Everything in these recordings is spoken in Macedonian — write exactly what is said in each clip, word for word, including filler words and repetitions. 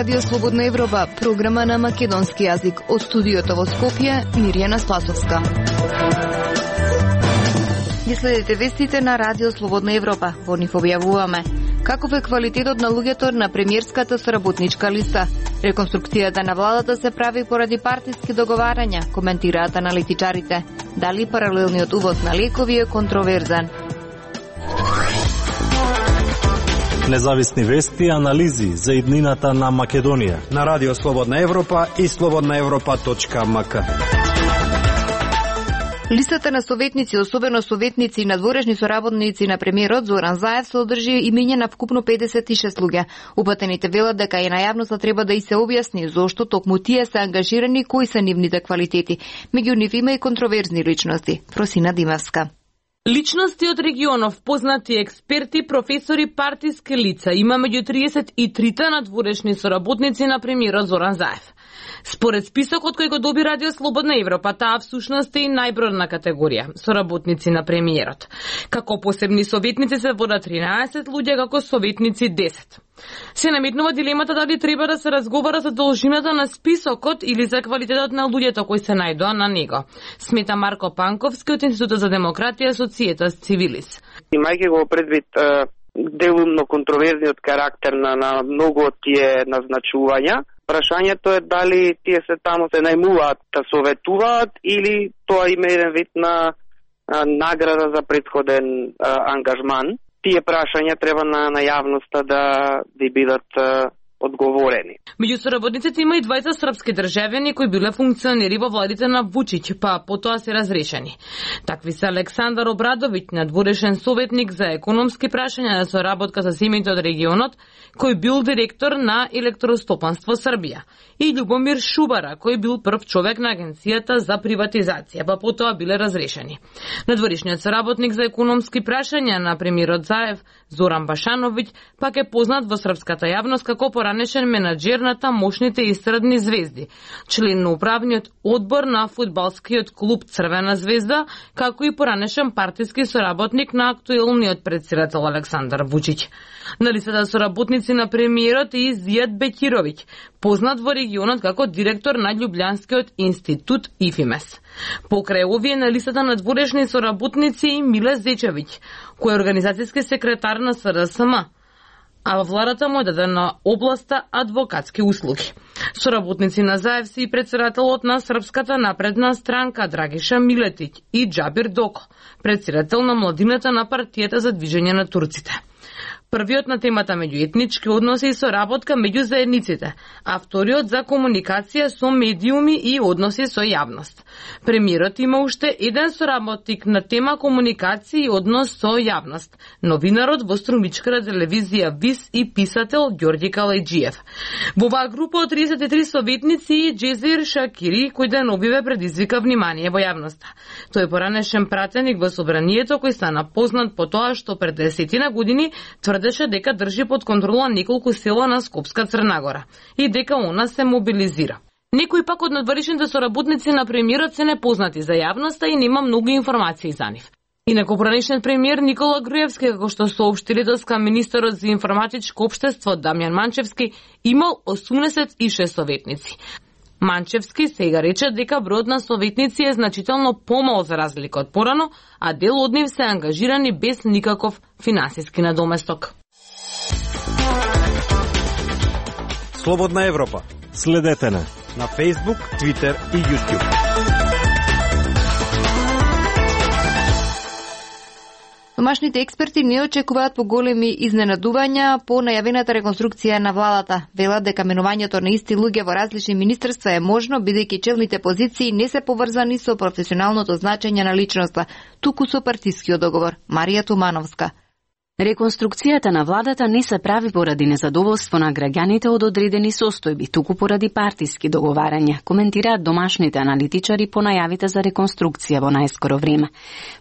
Радио Слободна Европа, програма на македонски јазик. Од студиото во Скопје, Мирјана Спасовска. Ги следите вестите на Радио Слободна Европа. Во нив објавуваме каков е квалитетот на луѓето на премиерската соработничка листа. Реконструкцијата на владата се прави поради партиски договарања, коментираат аналитичарите. Дали паралелниот увоз на лекови е контроверзен? Независни вести и анализи за иднината на Македонија на Радио Слободна Европа и слободна европа точка ем ка. Листата на советници, особено советници и надворешни соработници на премиерот Зоран Заев, се одржи имење на вкупно педесет и шест луѓе. Упатените велат дека и на јавноста треба да и се објасни зошто токму тие се ангажирани, кои се нивните квалитети. Меѓу нив има и контроверзни личности. Просина Димевска. Личности од регионов, познати експерти, професори, партиски лица има меѓу триесет и трите надворешни соработници на премиерот Зоран Заев. Според списокот кој го доби Радио Слободна Европа, таа всушност е и најбројна категорија соработници на премиерот. Како посебни советници се водат тринаесет луѓе, како советници десет. Се наметнува дилемата дали треба да се разговара за должината на списокот или за квалитетот на луѓето кои се најдоа на него. Смета Марко Панковски од Институтот за демократија Societas Civilis. Имајќи го предвид делумно контроверзниот карактер на, на многу од тие назначувања, прашањето е дали тие се таму се најмуваат да советуваат или тоа има еден вид на а, награда за претходен а, ангажман. Тие прашања треба на, на јавноста да да бидат а, одговорени. Меѓу соработниците има и двајца српски државјани кои биле функционери во владите на Вучиќ, па потоа се разрешени. Такви се Александар Обрадовиќ, надворешен советник за економски прашања на соработка со семејите од регионот, кој бил директор на Електростопанство Србија, и Љубомир Шубара, кој бил прв човек на Агенцијата за приватизација, па потоа биле разрешени. Надворешниот соработник за економски прашања на премиерот Заев, Зоран Башановиќ, пак е познат во српската јавност како поранешен менаџер на тамошните естрадни звезди, член на управниот одбор на фудбалскиот клуб Црвена звезда, како и поранешен партиски соработник на актуелниот претседател Александар Вучиќ. На листата соработници на премиерот е и Зијад Бекировиќ, познат во регионот како директор на Љубљанскиот институт ИФИМЕС. Покрај овие на листата на дворешни соработници и Миле Зечевиќ, кој е организацијски секретар на С Р С М, а во владата му е дадена областа адвокатски услуги. Соработници на Заев се и претседателот на Српската напредна странка Драгиша Милетиќ и Џабир Доко, претседател на младината на партијата за движење на турците. Првиот на темата меѓуетнички односи и соработка меѓу заедниците, а вториот за комуникација со медиуми и односи со јавност. Премиерот има уште еден соработник на тема комуникација и однос со јавност, новинарот во струмичката телевизија ВИС и писател Ѓорѓи Калајџиев. Во оваа група од триесет и три советници и Џезир Шакири, кој деновиве предизвика внимание во јавноста. Тој е поранешен пратеник во собранието кој стана познат по тоа што пред десетина години тврдеше дека држи под контрола неколку села на Скопска Црнагора и дека она се мобилизира. Некои пак од надворешните соработници на премиерот се непознати за јавноста и нема многу информации за нив. Инаку поранешниот премиер Никола Груевски, како што соопшти доска министерот за информатичко општество Дамјан Манчевски, имал осумдесет и шест советници. Манчевски сега рече дека бројот на советници е значително помал за разлика од порано, а дел од нив се ангажирани без никаков финансиски надоместок. Слободна Европа. Следете на на Facebook, Twitter и YouTube. Домашните експерти не очекуваат поголеми изненадувања по најавената реконструкција на владата. Велат дека менувањето на исти луѓе во различни министерства е можно, бидејќи челните позиции не се поврзани со професионалното значење на личноста, туку со партискиот договор. Марија Тумановска. Реконструкцијата на владата не се прави поради незадоволство на граѓаните од одредени состојби, туку поради партиски договарања, коментираат домашните аналитичари по најавите за реконструкција во најскоро време.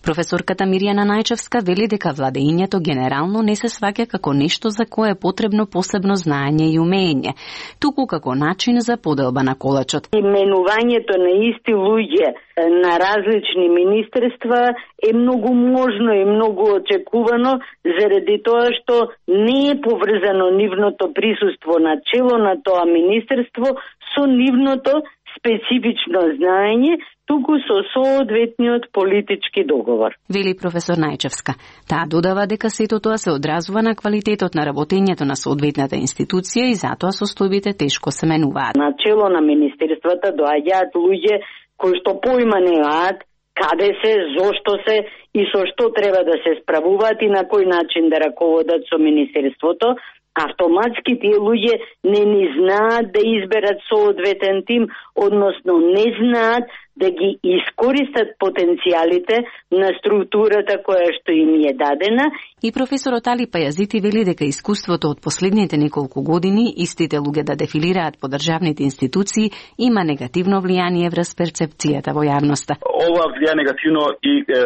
Професорката Мирјана Најчевска вели дека владењето генерално не се сваќа како нешто за кое е потребно посебно знаење и умење, туку како начин за поделба на колачот. Именувањето на исти луѓе на различни министерства е многу можно и многу очекувано, заради тоа што не е поврзано нивното присуство на чело на тоа министерство со нивното специфично знаење, туку со соодветниот политички договор. Вели професор Најчевска. Таа додава дека сето тоа се одразува на квалитетот на работењето на соодветната институција и затоа состојбите тешко се менуваат. На чело на министерствата доаѓаат луѓе кои што поима немаат каде се, зошто се и со што треба да се справуваат и на кој начин да раководат со министерството. Автоматски тие луѓе не ни знаат да изберат соодветен тим, односно не знаат да ги искористат потенцијалите на структурата која што им е дадена. И професорот Али Пајазити вели дека искуството од последните неколку години истите луѓе да дефилираат по државните институции има негативно влијание врз перцепцијата во јавноста. Ова влијае негативно и е,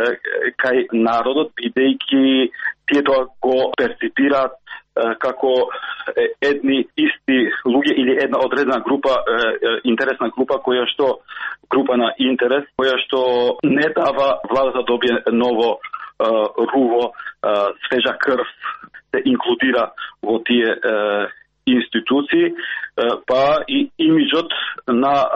кај народот, бидејќи тие тоа го перципираат како едни исти луѓе или една одредена група, интересна група која што група на интерес, која што не дава владата да добие ново руво, свежа крв, се инклудира во тие институции, па и имиджот на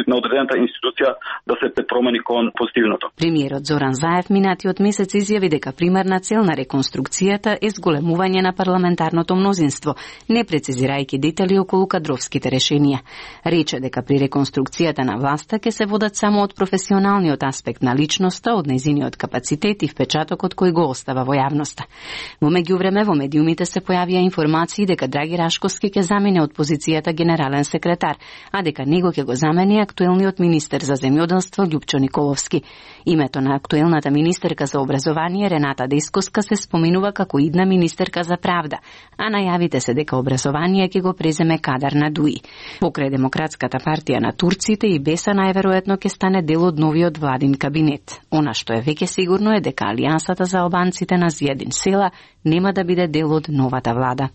на одредената институција да се промени кон позитивното. Премиерот Зоран Заев минатиот месец изјави дека примарна цел на реконструкцијата е зголемување на парламентарното мнозинство, не прецизирајќи детали околу кадровските решенија. Рече дека при реконструкцијата на власта ќе се водат само од професионалниот аспект на личноста, од нејзиниот капацитет и впечатокот кој го остава во јавноста. Во меѓувреме во медиумите се појавија информации дека Драги Рашковски ќе замине од позицијата генерален секретар, а дека него ќе го замени актуелниот министер за земјоделство Љупчо Николовски. Името на актуелната министерка за образование Рената Дескоска се споминува како идна министерка за правда, а најавите се дека образование ќе го преземе Кадар Надуи. Покрај Демократската партија на турците и Беса најверојатно ќе стане дел од новиот владин кабинет. Она што е веќе сигурно е дека Алијансата за албанците на Зијадин Села нема да биде дел од новата влада.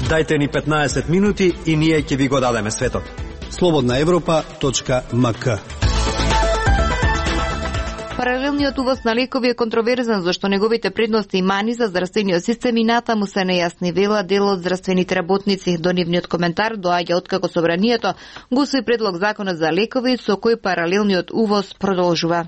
Дајте ни петнаесет минути и ние ќе ви го дадеме светот. слободна европа точка ем ка. Паралелниот увоз на лекови е контроверзен, зашто неговите предности и мани за здравствениот систем и натаму се нејасни, вела дел од здравствените работници. До нивниот коментар доаѓа откако собранието го усвои предлог законот за лекови со кој паралелниот увоз продолжува.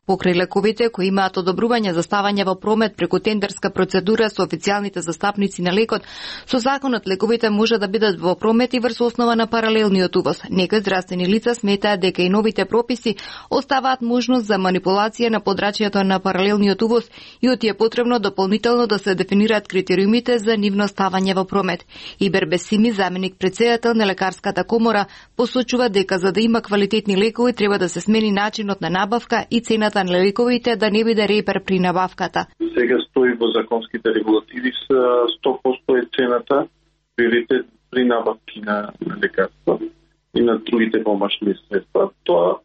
Покрај лековите кои имаат одобрување за ставање во промет преку тендерска процедура со официјалните застапници на лекот, со законот лековите може да бидат во промет и врз основа на паралелниот увоз. Некои здравствени лица сметаат дека и новите прописи оставаат можност за манипулација на подрачјето на паралелниот увоз и оти е потребно дополнително да се дефинираат критериумите за нивно ставање во промет. Ибер Бесими, заменик претседател на лекарската комора, посочува дека за да има квалитетни лекови треба да се смени начинот на набавка и цената на лековите да не биде репер при набавката. Сега стои во законските регулативи сто проценти е цената приоритет при набавки на, на лекарства и на другите помашни средства. Тоа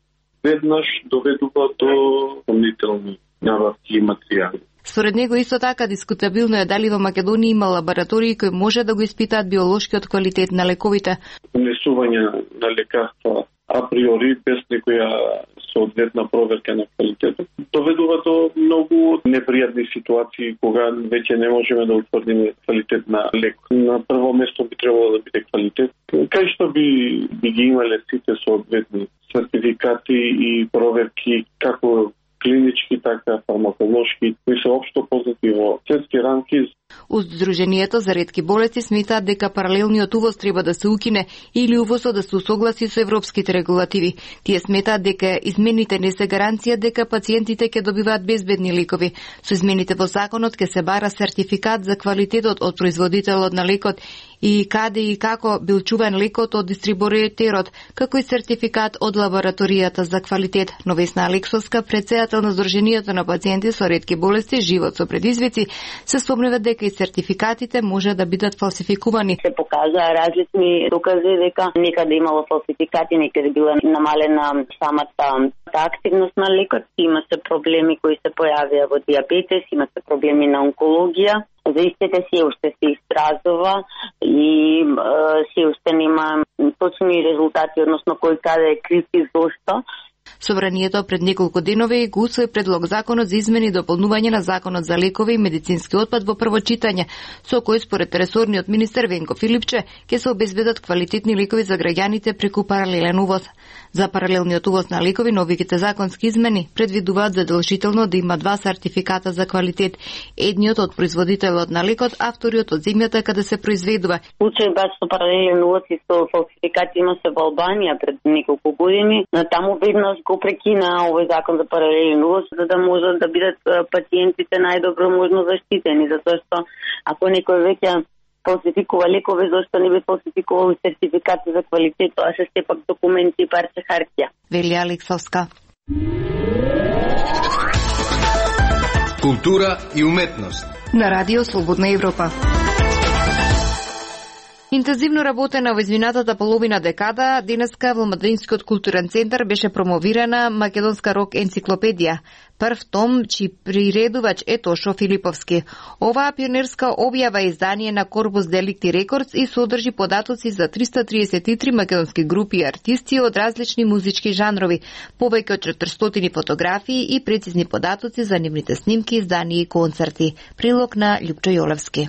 веднаш доведува до дополнителни набавки и материјали. Според него исто така дискутабилно е дали во Македонија има лаборатории кои може да го испитаат биолошкиот квалитет на лековите. Унесување на лекарства априори без некоја соодветна проверка на квалитетот доведува до многу непријатни ситуации кога веќе не можеме да утврдиме квалитет на лек. На прво место би требало да биде квалитет, кај што би, би ги имале сите соодветни сертификати и проверки како клинички, така фармаколошки, кои се општо познати во светски рамки. Сдруженијето за ретки болести сметаат дека паралелниот увоз треба да се укине или увозот да се усогласи со европските регулативи. Тие сметаат дека измените не се гаранција дека пациентите ќе добиваат безбедни лекови. Со измените во законот ќе се бара сертификат за квалитетот од производителот на лекот и каде и како бил чуван лекот од дистрибутерот, како и сертификат од лабораторијата за квалитет. Но Весна Алексовска, претседател на Сдруженијето на пациенти со ретки болести Живот со предизвици, се спомнува дека и сертификатите може да бидат фалсификувани. Се покажаа различни докази дека некаде имало фалсификати, некаде била намалена самата активност на лекот. Има се проблеми кои се појавија во диабетес, има се проблеми на онкологија. За истите се уште се истражува и е, се уште нема точни резултати, односно кој каде е крив и зошто. Собранието пред неколку денови го усвои предлог законот за измени и дополнување на законот за лекови и медицински отпад во прво читање, со кој според ресорниот министер Венко Филипче ќе се обезбедат квалитетни лекови за граѓаните преку паралелен увоз. За паралелниот увоз на лекови, новите законски измени предвидуваат задолжително да има два сертификата за квалитет, едниот од производителот на лекот, а вториот од земјата каде се произведува. Случај баш со паралелен увоз и со фалсификати има се во Албанија пред неколку години, но таму веднаш го прекина овој закон за паралелен увоз, за да можат да бидат пациентите најдобро можно заштитени, затоа што ако некој веќе фалсификува лекови, зашто не би фалсификувал сертификати за квалитет, тоа се сепак документи и парче хартија. Вели Алексовска. Култура и уметност. На Радио Слободна Европа. Интензивно работена во изминатата половина декада, денеска во Младинскиот културен центар беше промовирана македонска рок енциклопедија, прв том чии приредувач е Тошо Филиповски. Оваа пионерска објава е издание на Корпус Деликти Рекордс и содржи податоци за триста триесет и три македонски групи и артисти од различни музички жанрови, повеќе од четиристотини фотографии и прецизни податоци за нивните снимки, издания и концерти. Прилог на Љупчо Јолевски.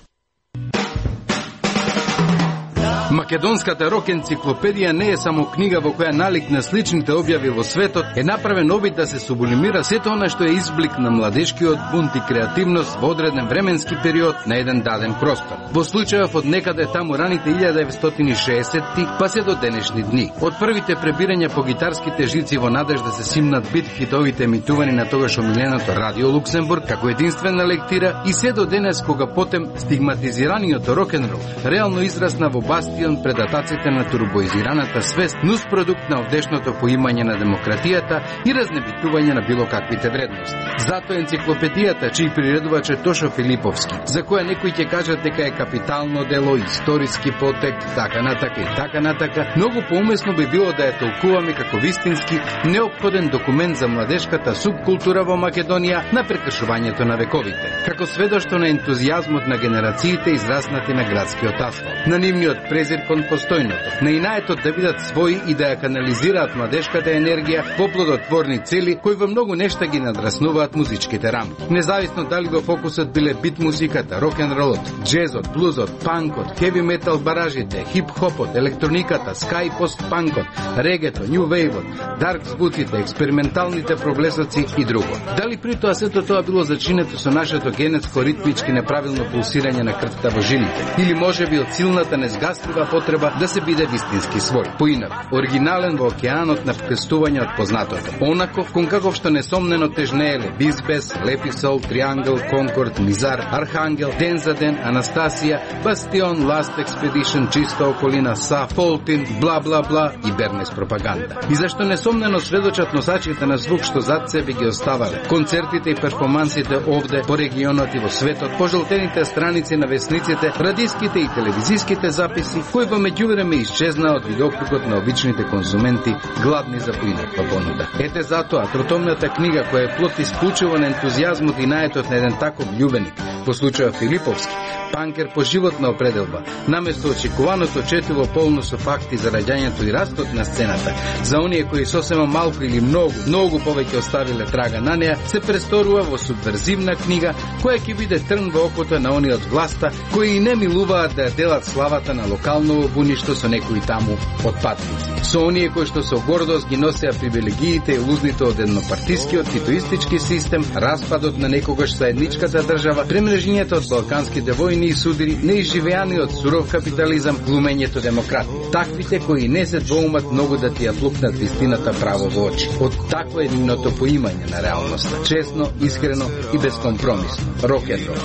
Македонската рок енциклопедија не е само книга во која налик на сличните објави во светот е направен обид да се сублимира сето она што е изблик на младешкиот бунт и креативност во одреден временски период на еден даден простор. Во случајов од некаде таму раните илјада деветстотини и шеесетти па се до денешни дни. Од првите пребирања по гитарските жици во надеж да се симнат бит хитовите емитувани на тогаш омиленото Радио Луксембург како единствена лектира и се до денес кога потем стигматизираниот рок-н-рол реално израсна во бастион пред атаците на турбоизираната свест, нус продукт на овдешното поимање на демократијата и разнебитување на било каквите вредности. Затоа енциклопедијата, чиј приредувач е Тошо Филиповски, за која некои ќе кажат дека е капитално дело, историски потек, така натака и така натака, многу поумесно би било да ја толкуваме како вистински неопходен документ за младешката субкултура во Македонија на прекршувањето на вековите, како сведоштво на ентузијазмот на генерациите израснати на градскиот асфалт, на нивниот презир кон постојното, на инаетот да бидат своји и да ја канализираат младешката енергија во плодотворни цели кои во многу нешта ги надраснуваат музичките рамки. Независно дали во фокусот биле бит музиката, рок-н-ролот, джезот, блузот, панкот, хеви метал баражите, хип-хопот, електрониката, скај пост-панкот, регето, нью вейвот, дарк звуците, експерименталните проблесоци и друго. Дали при тоа сето тоа било зачинето со нашето генетско ритмички неправилно пулсирање на крвта во жилите, или можеби од силната незгаслива потреба да се биде вистински свој, поинак, оригинален во океанот на вкрстување од познатото. Онаков кон каков што несомнено тежнееле Бизбес, Леписол, Триангел, Конкорд, Мизар, Архангел, Ден за ден, Анастасија, Бастион, Ласт Експедишн, Чиста околина, Са, Фолтин, бла бла бла и Бернес пропаганда. И зашто несомнено сведочат носачите на звук што зад себе ги оставале, концертите и перформансите овде по регионот и во светот, пожелтените страници на весниците, радиските и телевизиските записи, кои во меѓувреме исчезна од видокругот на обичните конзументи, гладни за поинаква понуда. Ете затоа, тротомната книга која е плод исклучиво на ентузијазмот и наетот на еден таков љубеник, во случајот Филиповски, панкер по животна определба, наместо очекуваното четиво полно со факти за раѓањето и растот на сцената, за оние кои сосема малку или многу, многу повеќе оставиле трага на неа, се престорува во субверзивна книга која ќе биде трн во окото на оние од власта кои и не милуваат да ја делат славата на локално буништо со некои таму отпадници. Со оние кои што со гордост ги носеа привилегиите и лузните од еднопартискиот титоистички систем, распадот на некогаш заедничката држава, премрежењето од балканските војни и судири, неизживеаниот суров капитализам, глумењето демократи. Таквите кои не се двоумат многу да ти ја плукнат вистината право во очи. Од такво е нивното поимање на реалноста. Честно, искрено и безкомпромисно. Рок-н-рол.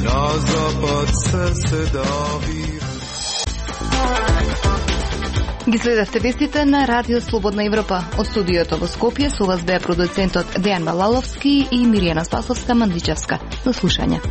Na zapad se davi. Ги следавте вестите на Радио Слободна Европа. Од студиото во Скопје со вас беа продуцентот Дејан Балаловски и Миријана Спасовска-Мандичевска. До слушање.